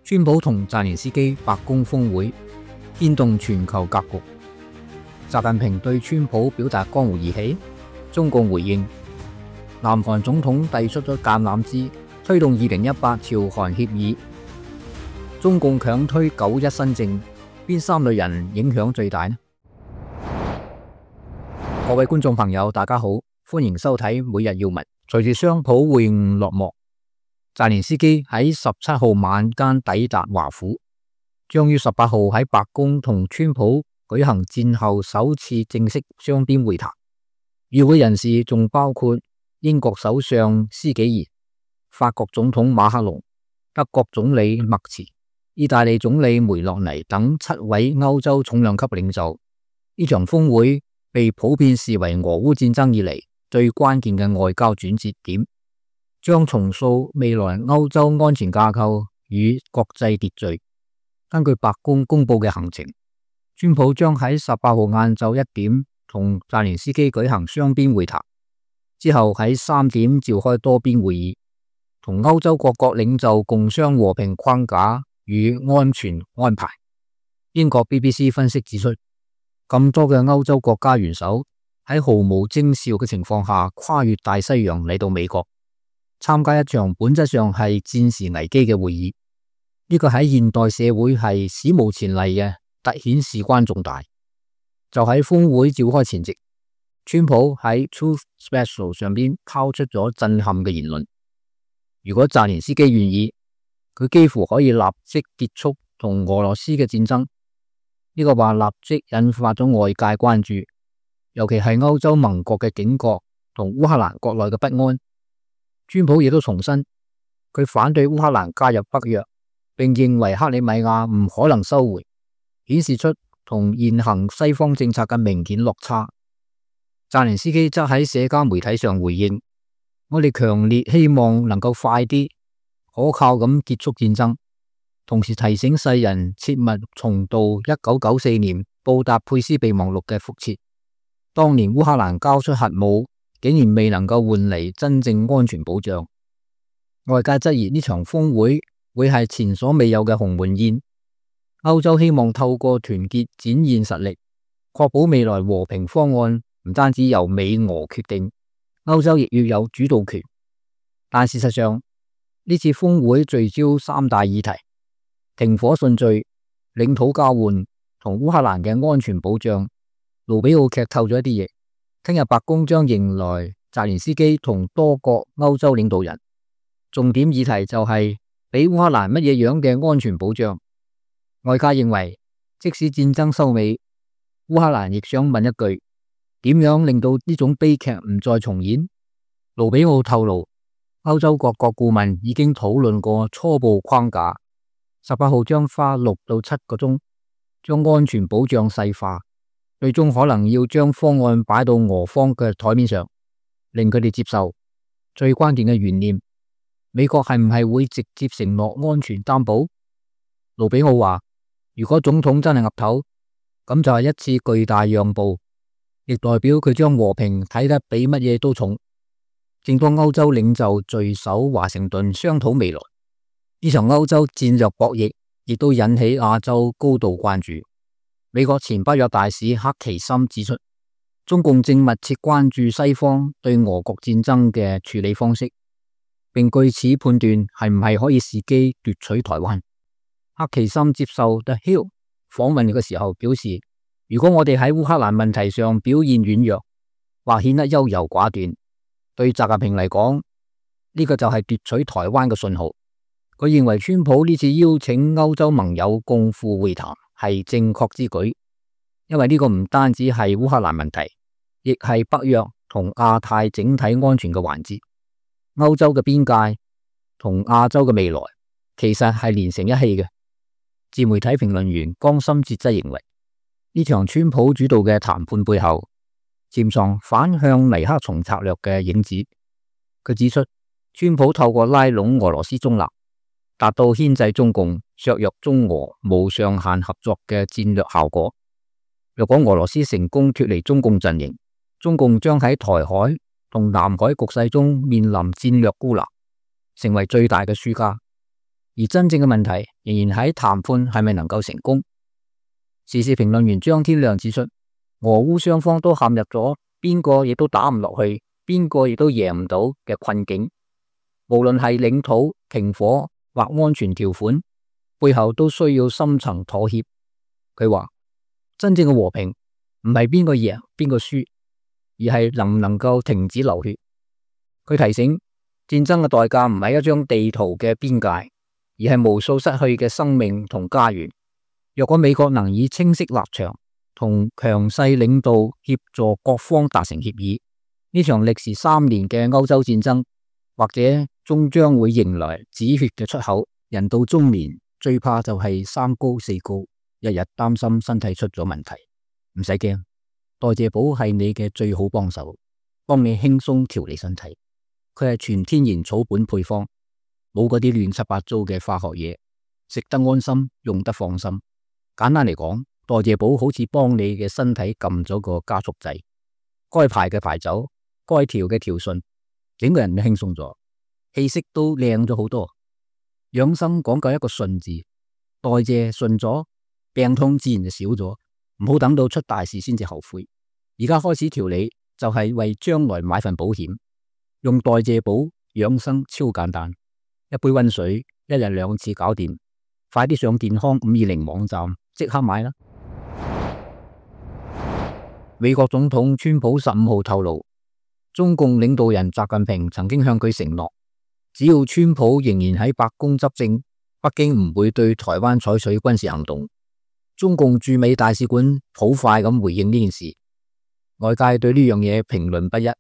川普同澤連斯基白宮峰會牽動全球格局。習近平對川普表達江湖義氣，中共回應。南韓總統遞出咗橄欖枝，推動2018朝韓協議。中共強推9·1新政，邊3類人影響最大呢？各位觀眾朋友，大家好，歡迎收睇每日要聞。隨住雙普會晤落幕，澤連斯基喺17號晚間抵達華府，將於18號喺白宮同川普舉行戰後首次正式雙邊會談。與會人士仲包括英國首相施紀賢、法國總統馬克龍、德國總理默茨、意大利總理梅洛尼等7位歐洲重量級領袖。呢場峰會被普遍視為俄烏戰爭以嚟最關鍵嘅外交轉折點，將重塑未來歐洲安全架構與國際秩序。根據白宮公布嘅行程，川普將喺18號晏晝1點同澤連斯基舉行雙邊會談，之後喺3點召開多邊會議，同歐洲各國領袖共商和平框架與安全安排。英國 BBC 分析指出，咁多嘅歐洲國家元首喺毫無徵兆嘅情況下跨越大西洋嚟到美國，參加一場本質上係戰時危機嘅會議。呢個喺現代社會係史無前例嘅，凸顯事關重大。就喺峰會召開前夕，川普喺 Truth Social 上邊拋出咗震撼嘅言論。如果澤連斯基願意，佢幾乎可以立即結束同俄羅斯嘅戰爭。呢個話立即引發咗外界關注，尤其係歐洲盟國嘅警覺同烏克蘭國內嘅不安。川普亦都重申，佢反對烏克蘭加入北約，並認為克里米亞唔可能收回，顯示出同現行西方政策嘅明顯落差。澤連斯基則喺社交媒體上回應：我哋強烈希望能夠快啲可靠咁結束戰爭，同時提醒世人切勿重蹈1994年布達佩斯備忘錄嘅覆轍。當年烏克蘭交出核武，竟然未能夠換嚟真正安全保障。外界質疑呢場峰會會係前所未有嘅鴻門宴。歐洲希望透過團結展現實力，確保未來和平方案唔單止由美俄決定，歐洲亦要有主導權。但事實上，呢次峰會聚焦3大議題：停火順序、領土交換同烏克蘭嘅安全保障。盧比奧劇透咗一啲嘢，聽日白宮將迎來澤連斯基同多國歐洲領導人，重點議題就係俾烏克蘭乜嘢樣嘅安全保障。外界認為，即使戰爭收尾，烏克蘭亦想問一句：點樣令到呢種悲劇唔再重演？盧比奧透露，歐洲各國顧問已經討論過初步框架，18號將花6到7個鐘，將安全保障細化，最終可能要將方案擺到俄方嘅台面上，令佢哋接受。最關鍵嘅懸念，美國係唔係會直接承諾安全擔保？盧比奧話，如果總統真係岌頭，咁就係一次巨大讓步，亦代表佢將和平睇得比乜嘢都重。正當歐洲領袖聚首華盛頓商討未來，呢場歐洲戰略博弈亦都引起亞洲高度關注。美國前北約大使克奇森指出，中共正密切關注西方對俄國戰爭嘅處理方式，並據此判斷係唔係可以伺機奪取台灣。克奇森接受 The Hill 訪問嘅時候表示，如果我哋喺烏克蘭問題上表現軟弱或顯得優柔寡斷，對習近平嚟講，呢個就係奪取台灣嘅信號。佢認為川普呢次邀請歐洲盟友共赴會談係正確之舉，因為呢個唔單止係烏克蘭問題，亦係北約同亞太整體安全嘅環節。歐洲嘅邊界同亞洲嘅未來其實係連成一氣嘅。自媒體評論員江森哲則認為，呢場川普主導嘅談判背後潛藏反向尼克松策略嘅影子。佢指出，川普透過拉攏俄羅斯中立，達到牽制中共、削弱中俄無上限合作嘅戰略效果。若果俄羅斯成功脫離中共陣營，中共將喺台海同南海局勢中面臨戰略孤立，成為最大嘅輸家。而真正嘅問題仍然喺談判係咪能夠成功。時事評論員張天亮指出，俄烏雙方都陷入咗邊個亦都打唔落去，邊個亦都贏唔到嘅困境。無論係領土、停火或安全條款，背後都需要深層妥協。佢話，真正嘅和平唔係邊個贏邊個輸，而係能唔能夠停止流血。佢提醒，戰爭嘅代價唔係一張地圖嘅邊界，而係無數失去嘅生命同家園。若果美國能以清晰立場同強勢領導協助各方達成協議，呢場歷時3年嘅歐洲戰爭或者終將會迎來止血嘅出口。人到中年最怕就係3高4高，日日擔心身體出咗問題。唔使驚，代謝寶係你嘅最好幫手，幫你輕鬆調理身體。佢係全天然草本配方，冇嗰啲亂七八糟嘅化學嘢，食得安心，用得放心。簡單嚟講，代謝寶好似幫你嘅身體撳咗個加速掣，該排嘅排走，該調嘅調順，整個人都輕鬆咗，氣色都靚咗好多。養生講究一個順字，代謝順咗，病痛自然就少咗。唔好等到出大事先至後悔，而家開始調理就係為將來買份保險。用代謝寶養生超簡單，一杯溫水，1日2次搞掂。快啲上健康520網站即刻買啦！美國總統川普15號透露，中共領導人習近平曾經向佢承諾，只要川普仍然喺白宮執政，北京唔會對台灣採取軍事行動。中共駐美大使館好快咁回應呢件事，外界對呢樣嘢評論不一，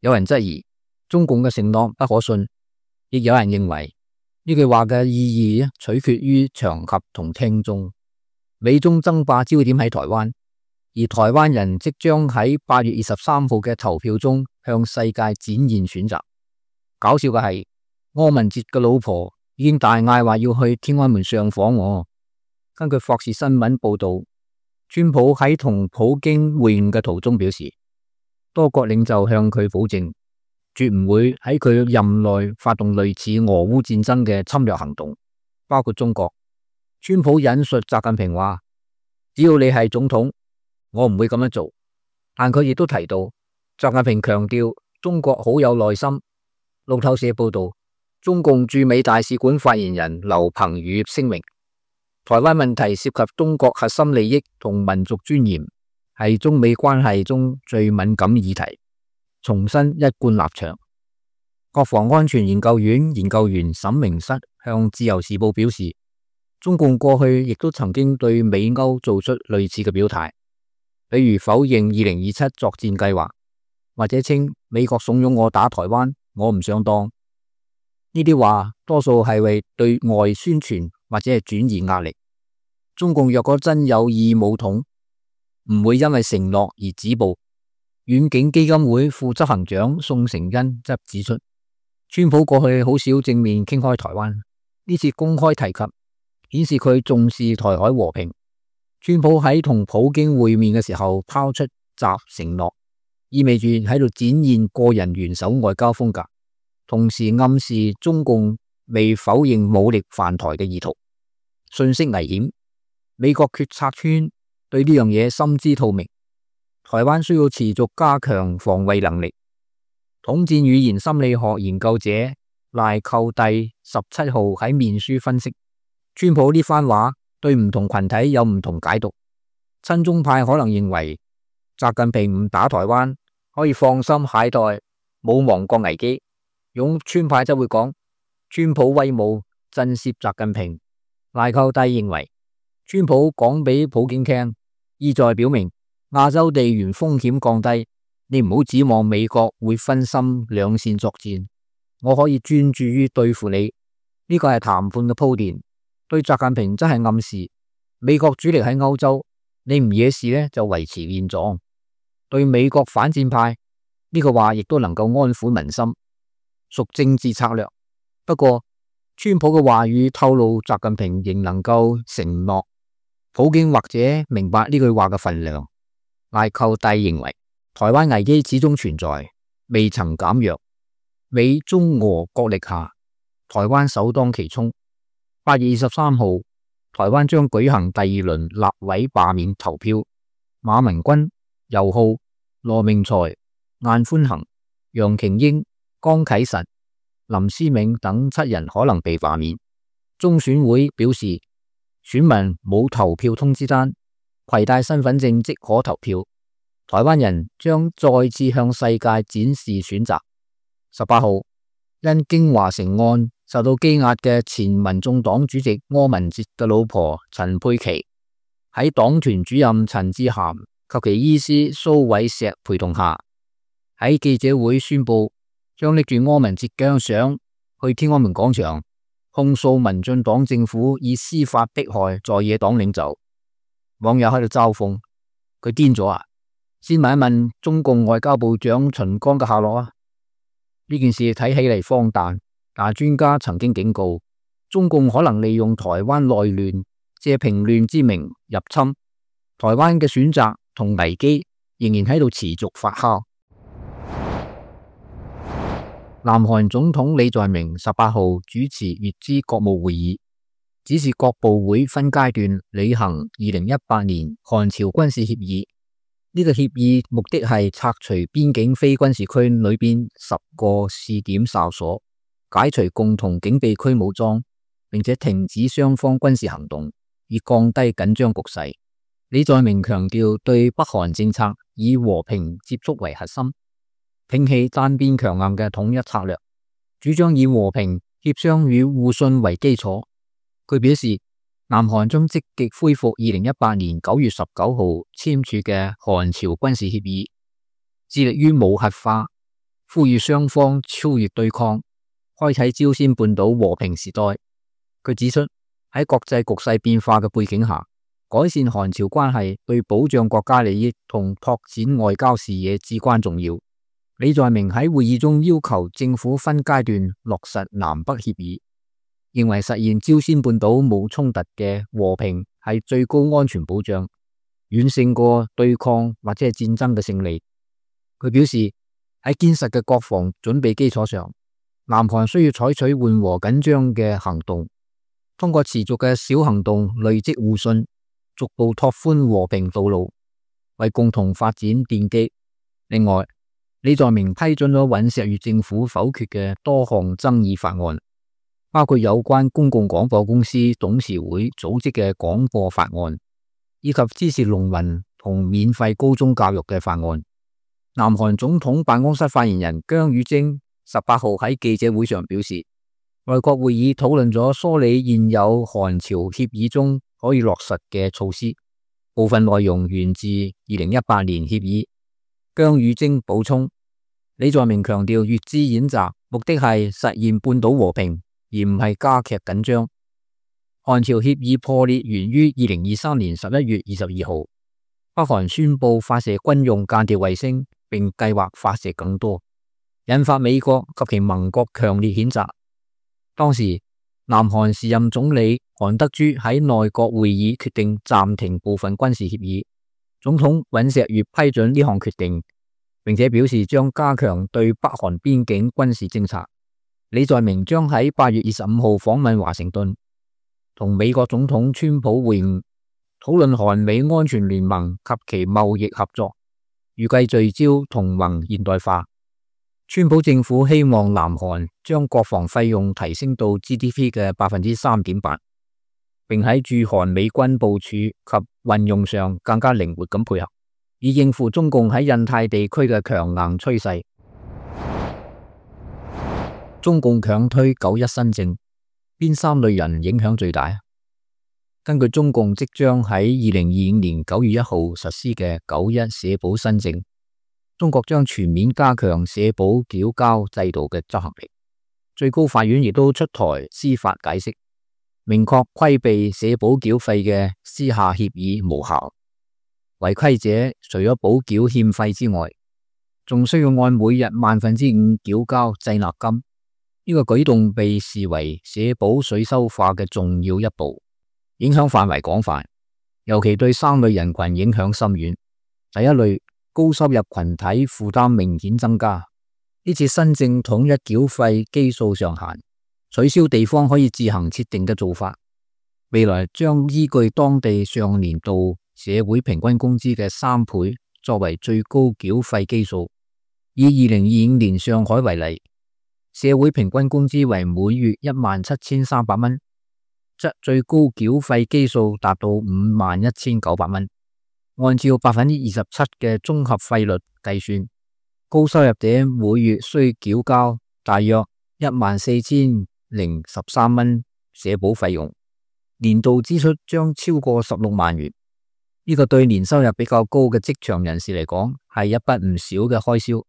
有人質疑中共嘅承諾不可信，亦有人認為呢句話嘅意義取決於場合同聽眾。美中爭霸焦點喺台灣，而台灣人即將喺8月23號嘅投票中向世界展現選擇。搞笑嘅係，柯文哲嘅老婆已經大嗌話要去天安門上訪我。根據霍士新聞報道，川普喺同普京會晤嘅途中表示，多國領袖向佢保證，絕唔會喺佢任內發動類似俄烏戰爭嘅侵略行動，包括中國。川普引述習近平話，只要你係總統，我唔會咁樣做。但佢亦都提到，習近平強調中國好有耐心。路透社報道，中共駐美大使館發言人劉鵬宇聲明，台灣問題涉及中國核心利益同民族尊嚴，係中美關係中最敏感議題，重申一貫立場。國防安全研究院研究員沈明室向自由時報表示，中共過去亦都曾經對美歐做出類似嘅表態，比如否認2027作戰計劃，或者稱美國慫恿我打台灣，我唔想當。呢啲話多數係為對外宣傳或者係轉移壓力。中共若果真有意武統，唔會因為承諾而止步。遠景基金會副執行長宋承恩則指出，川普過去好少正面傾開台灣，呢次公開提及，顯示佢重視台海和平。川普喺同普京會面嘅時候拋出習承諾，意味住喺度展現個人元首外交風格，同時暗示中共未否認武力犯台嘅意圖。信息危險，美國決策圈對呢樣嘢心知肚明。台灣需要持續加強防衛能力。統戰語言心理學研究者賴寇蒂17號喺面書分析，川普呢番話對唔同群體有唔同解讀。親中派可能認為習近平唔打台灣可以放心懈怠，冇亡國危機。擁川派則會講川普威武，震懾習近平。賴寇蒂認為川普講俾普京聽，意在表明亞洲地緣風險降低，你唔好指望美國會分心兩線作戰，我可以專注於對付你。呢個係談判嘅鋪墊，對習近平真係暗示美國主力喺歐洲，你唔惹事呢就維持現狀。對美國反戰派呢個話亦都能夠安撫民心，屬政治策略。不過川普嘅話語透露習近平仍能夠承諾，普京或者明白呢句話嘅分量。賴寇蒂認為台灣危機始終存在，未曾減弱。美中俄角力下，台灣首當其衝。8月23號，台灣將舉行第2輪立委罷免投票，馬文君、游浩、羅明才、晏寬恒、楊瓊英、江啟臣、林思銘等7人可能被罷免。中選會表示，選民冇投票通知單，攜帶身份證即可投票。台灣人將再次向世界展示選擇。18號，因京華城案受到羈押嘅前民眾黨主席柯文哲嘅老婆陳佩琪，喺黨團主任陳志涵及其醫師蘇偉石陪同下，喺記者會宣布將拎住柯文哲嘅相去天安門廣場控訴民進黨政府以司法迫害在野黨領袖。網友喺度嘲諷佢癲咗啊！先問一問中共外交部長秦剛嘅下落啊！呢件事睇起嚟荒誕，但專家曾經警告，中共可能利用台灣內亂，借平亂之名入侵台灣嘅選擇同危機，仍然喺度持續發酵。南韓總統李在明18號主持乙支國務會議，指示各部會分階段履行2018年韓朝軍事協議。呢個協議目的係拆除邊境非軍事區裏邊10個試點哨所，解除共同警備區武裝，並且停止雙方軍事行動，以降低緊張局勢。李在明強調對北韓政策以和平接觸為核心，摒棄單邊強硬嘅統一策略，主張以和平、協商與互信為基礎。佢表示，南韓將積極恢復2018年9月19號簽署嘅韓朝軍事協議，致力於無核化，呼籲雙方超越對抗，開啟朝鮮半島和平時代。佢指出，喺國際局勢變化嘅背景下，改善韓朝關係對保障國家利益同拓展外交視野至關重要。李在明喺會議中要求政府分階段落實南北協議，認為實現朝鮮半島冇衝突嘅和平係最高安全保障，遠勝過對抗或者係戰爭嘅勝利。佢表示，喺堅實嘅國防準備基礎上，南韓需要採取緩和緊張嘅行動，通過持續嘅小行動累積互信，逐步拓寬和平道路，為共同發展奠基。另外，李在明批准咗尹錫悅政府否決嘅多項爭議法案，包括有關公共廣播公司董事會組織嘅廣播法案，以及支持農民同免費高中教育嘅法案。南韓總統辦公室發言人姜宇貞18號喺記者會上表示，內閣會議討論咗梳理現有韓朝協議中可以落實嘅措施，部分內容源自2018年協議。姜宇貞補充，李在明強調乙支演習目的係實現半島和平，而唔係加劇緊張。韓朝協議破裂源於2023年11月22號，北韓宣布發射軍用間諜衛星，並計劃發射更多，引發美國及其盟國強烈譴責。當時，南韓時任總理韓德洙喺內閣會議決定暫停部分軍事協議，總統尹錫悅批准呢項決定，並且表示將加強對北韓邊境軍事偵察。李在明將喺8月25號訪問華盛頓，同美國總統川普會晤，討論韓美安全聯盟及其貿易合作，預計聚焦同盟現代化。川普政府希望南韓將國防費用提升到 GDP 嘅 3.8%， 並喺駐韓美軍部署及運用上更加靈活咁配合，以應付中共喺印太地區嘅強硬趨勢。中共強推9·1新政，邊3類人影響最大？根據中共即將喺2025年9月1號實施嘅9·1社保新政，中國將全面加強社保繳交制度嘅執行力。最高法院亦都出台司法解釋，明確規避社保繳費嘅私下協議無效。違規者除咗補繳欠費之外，仲需要按每日5%繳交滯納金。呢個舉動被視為社保稅收化嘅重要一步，影響範圍廣泛，尤其對3類人群影響深遠。第一類，高收入群體負擔明顯增加，呢次新政統一繳費基數上限，取消地方可以自行設定嘅做法。未來將依據當地上年度社會平均工資嘅3倍作為最高繳費基數。以2025年上海為例，社會平均工資為每月17,300蚊，則最高繳費基數達到51,900蚊。按照27%嘅綜合費率計算，高收入者每月需繳交大約14,013蚊社保費用，年度支出將超過16萬元。呢個對年收入比較高嘅職場人士嚟講係一筆唔少嘅開銷，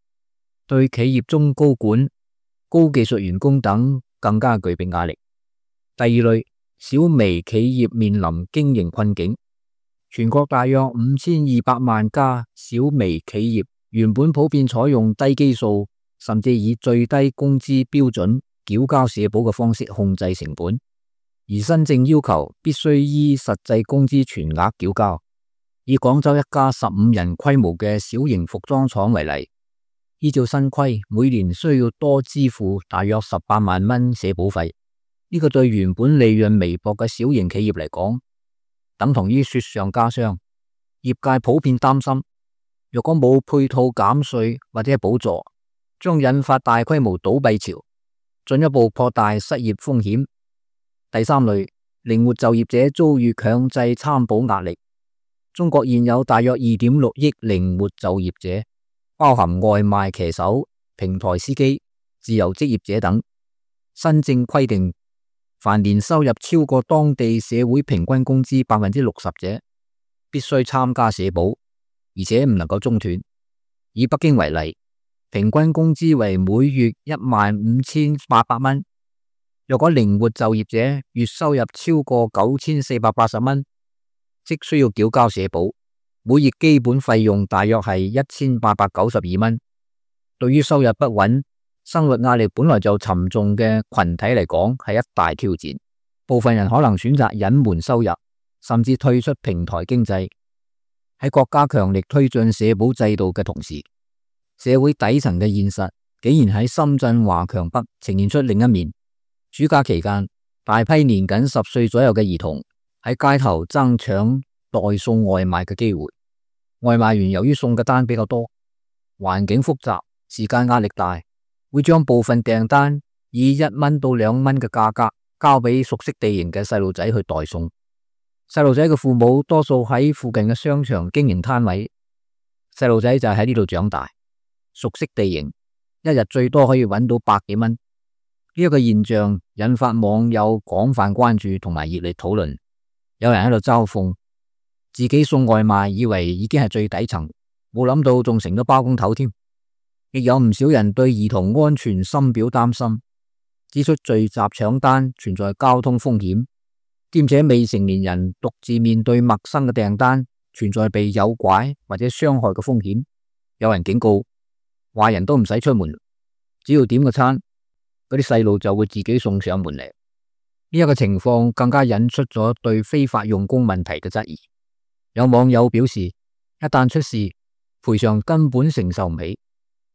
對企業中高管、高技術員工等更加具備壓力。第二類，小微企業面臨經營困境。全國大約5200萬家小微企業原本普遍採用低基數，甚至以最低工資標準繳交社保嘅方式控制成本，而新政要求必須依實際工資全額繳交。以廣州一家15人規模嘅小型服裝廠為例，依照新規，每年需要多支付大約18萬蚊社保費。呢個對原本利潤微薄嘅小型企業嚟講，等同於雪上加霜。業界普遍擔心，若果冇配套減稅或者補助，將引發大規模倒閉潮，進一步擴大失業風險。第三類，靈活就業者遭遇強制參保壓力。中國現有大約2.6億靈活就業者，包含外賣騎手、平台司機、自由職業者等。新政規定，凡年收入超過當地社會平均工資60%者，必須參加社保，而且唔能夠中斷。以北京為例，平均工資為每月15,800蚊。若果靈活就業者月收入超過9,480蚊，即需要繳交社保，每月基本費用大約係1,892蚊。對於收入不穩、生活壓力本來就沉重嘅群體嚟講，係一大挑戰。部分人可能選擇隱瞞收入，甚至退出平台經濟。喺國家強力推進社保制度嘅同時，社會底層嘅現實竟然喺深圳華強北呈現出另一面。暑假期間，大批年僅10歲左右嘅兒童喺街頭爭搶代送外賣嘅機會。外賣員由於送嘅單比較多，環境複雜，時間壓力大，會將部分訂單以1蚊到2蚊嘅價格交俾熟悉地形嘅細路仔去代送。細路仔嘅父母多數喺附近嘅商場經營攤位，細路仔就喺呢度長大，熟悉地形，一日最多可以揾到100幾蚊。呢一個現象引發網友廣泛關注同埋熱烈討論。有人喺度嘲諷自己送外賣，以為已經係最底層，冇諗到仲成咗包工頭添。亦有唔少人對兒童安全深表擔心，指出聚集搶單存在交通風險，兼且未成年人獨自面對陌生嘅訂單，存在被誘拐或者傷害嘅風險。有人警告，壞人都唔使出門，只要點個餐，嗰啲細路就會自己送上門嚟。呢一個情況更加引出咗對非法用工問題嘅質疑。有網友表示，一旦出事，賠償根本承受唔起。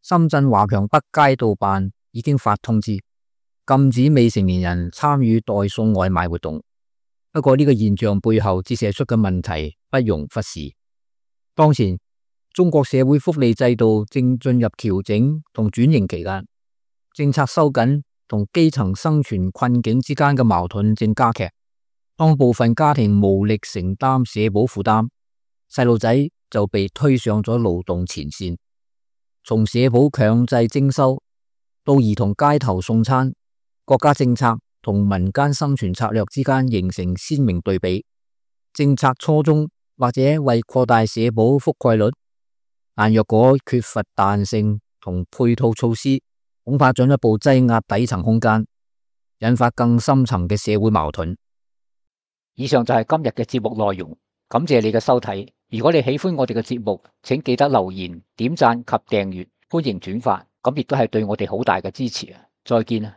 深圳華強北街道辦已經發通知，禁止未成年人參與代送外賣活動。不過呢個現象背後折射出嘅問題不容忽視。當前中國社會福利制度正進入調整同轉型期間，政策收緊同基層生存困境之間嘅矛盾正加劇。當部分家庭無力承擔社保負擔，細路仔就被推上咗勞動前線。從社保強制徵收到兒童街頭送餐，國家政策同民間生存策略之間形成鮮明對比。政策初衷或者為擴大社保覆蓋率，但若果缺乏彈性同配套措施，恐怕進一步擠壓底層空間，引發更深層嘅社會矛盾。以上就係今日嘅節目內容，感謝你嘅收睇。如果你喜歡我哋嘅節目，請記得留言、點讚及訂閱，歡迎轉發，咁亦都係對我哋好大嘅支持啊！再見啊！